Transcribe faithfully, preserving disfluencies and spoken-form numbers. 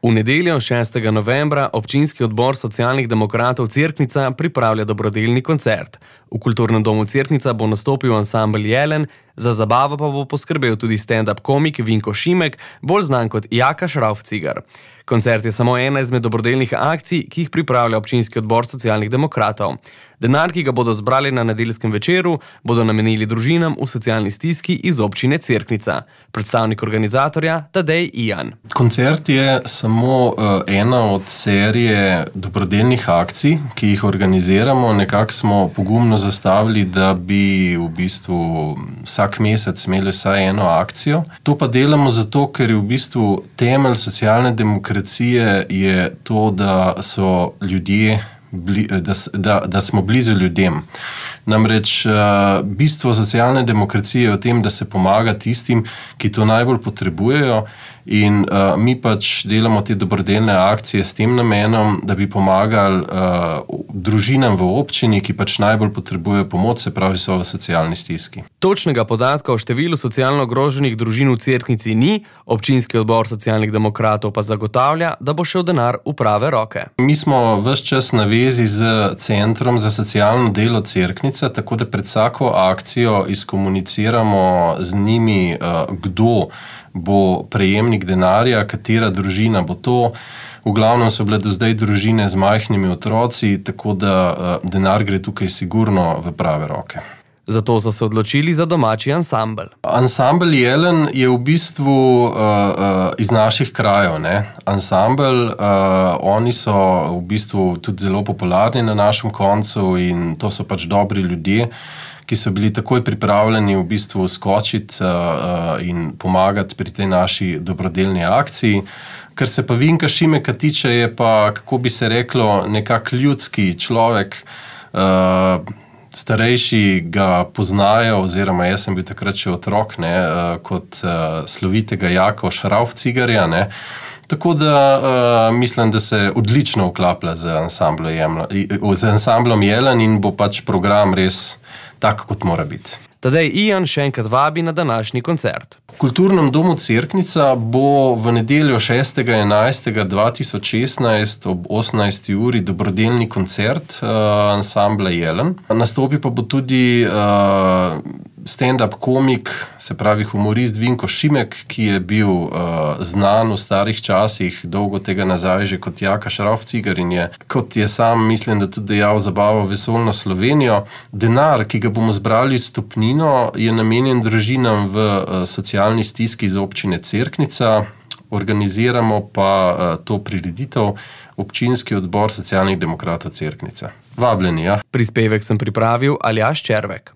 V nedeljo šestega novembra občinski odbor socialnih demokratov Cerknica pripravlja dobrodelni koncert. V kulturnem domu Cerknica bo nastopil ansambel Jelen, za zabavo pa bo poskrbel tudi stand-up komik Vinko Šimek, bolj znan kot Jaka Šrauf-Cigar. Koncert je samo ena izmed dobrodelnih akcij, ki jih pripravlja občinski odbor socialnih demokratov. Denar, ki ga bodo zbrali na nedeljskem večeru, bodo namenili družinam v socialni stiski iz občine Cerknica. Predstavnik organizatorja Tadej Ijan. Koncert je samo uh, ena od serije dobrodelnih akcij, ki jih organiziramo. Nekako smo pogumno zastavili, da bi v bistvu vsak mesec imeli vsaj eno akcijo. To pa delamo zato, ker je v bistvu temelj socialne demokracije je to, da so ljudje Da, da, da smo blizu ljudem. Namreč uh, bistvo socialne demokracije je v tem, da se pomaga tistim, ki to najbolj potrebujejo, in uh, mi pač delamo te dobrodelne akcije s tem namenom, da bi pomagali uh, družinam v občini, ki pač najbolj potrebujejo pomoč, se pravi so v socialni stiski. Točnega podatka o številu socialno ogroženih družin v Cerknici ni, občinski odbor socialnih demokratov pa zagotavlja, da bo šel denar v prave roke. Mi smo ves čas na vezi z Centrom za socialno delo Cerknica, tako da pred vsako akcijo izkomuniciramo z njimi, kdo bo prejemnik denarja, katera družina bo to. V glavnem so bile do zdaj družine z majhnimi otroci, tako da denar gre tukaj sigurno v prave roke. Zato so se odločili za domači ansambel. Ansambel Jelen je v bistvu uh, uh, iz naših krajev. Ne? Ansambel, uh, oni so v bistvu tudi zelo popularni na našem koncu in to so pač dobri ljudje, ki so bili takoj pripravljeni v bistvu skočiti uh, uh, in pomagati pri tej naši dobrodelni akciji. Kar se pa Vinka Šimeka tiče, je pa, kako bi se reklo, nekak ljudski človek. Uh, starejši ga poznajo, oziroma jaz sem bil takrat še otrok, ne, uh, kot uh, slovitega Jaka Šrauf-Cigarja, ne. Tako da uh, mislim, da se odlično vklaplja z ansamblom, z ansamblom Jelen in bo pač program res tak, kot mora biti. Tadej Ijan še enkrat vabi na današnji koncert. V kulturnem domu Cerknica bo v nedeljo šestega enajstega dva tisoč šestnajst ob osemnajsti uri dobrodelni koncert uh, ansambla Jelen. Nastopi pa bo tudi uh, stand-up komik, se pravi humorist Vinko Šimek, ki je bil uh, znan v starih časih, dolgo tega nazaj že kot Jaka Šrauf-Cigar in je, kot je sam, mislim, da tudi dejal, zabavo vesoljno Slovenijo. Denar, ki ga bomo zbrali s stopnino, je namenjen družinam v uh, socialni stiski iz občine Cerknica. Organiziramo pa uh, to prireditev občinski odbor socialnih demokratov Cerknica. Vabljeni, ja. Prispevek sem pripravil Aljaž Červek.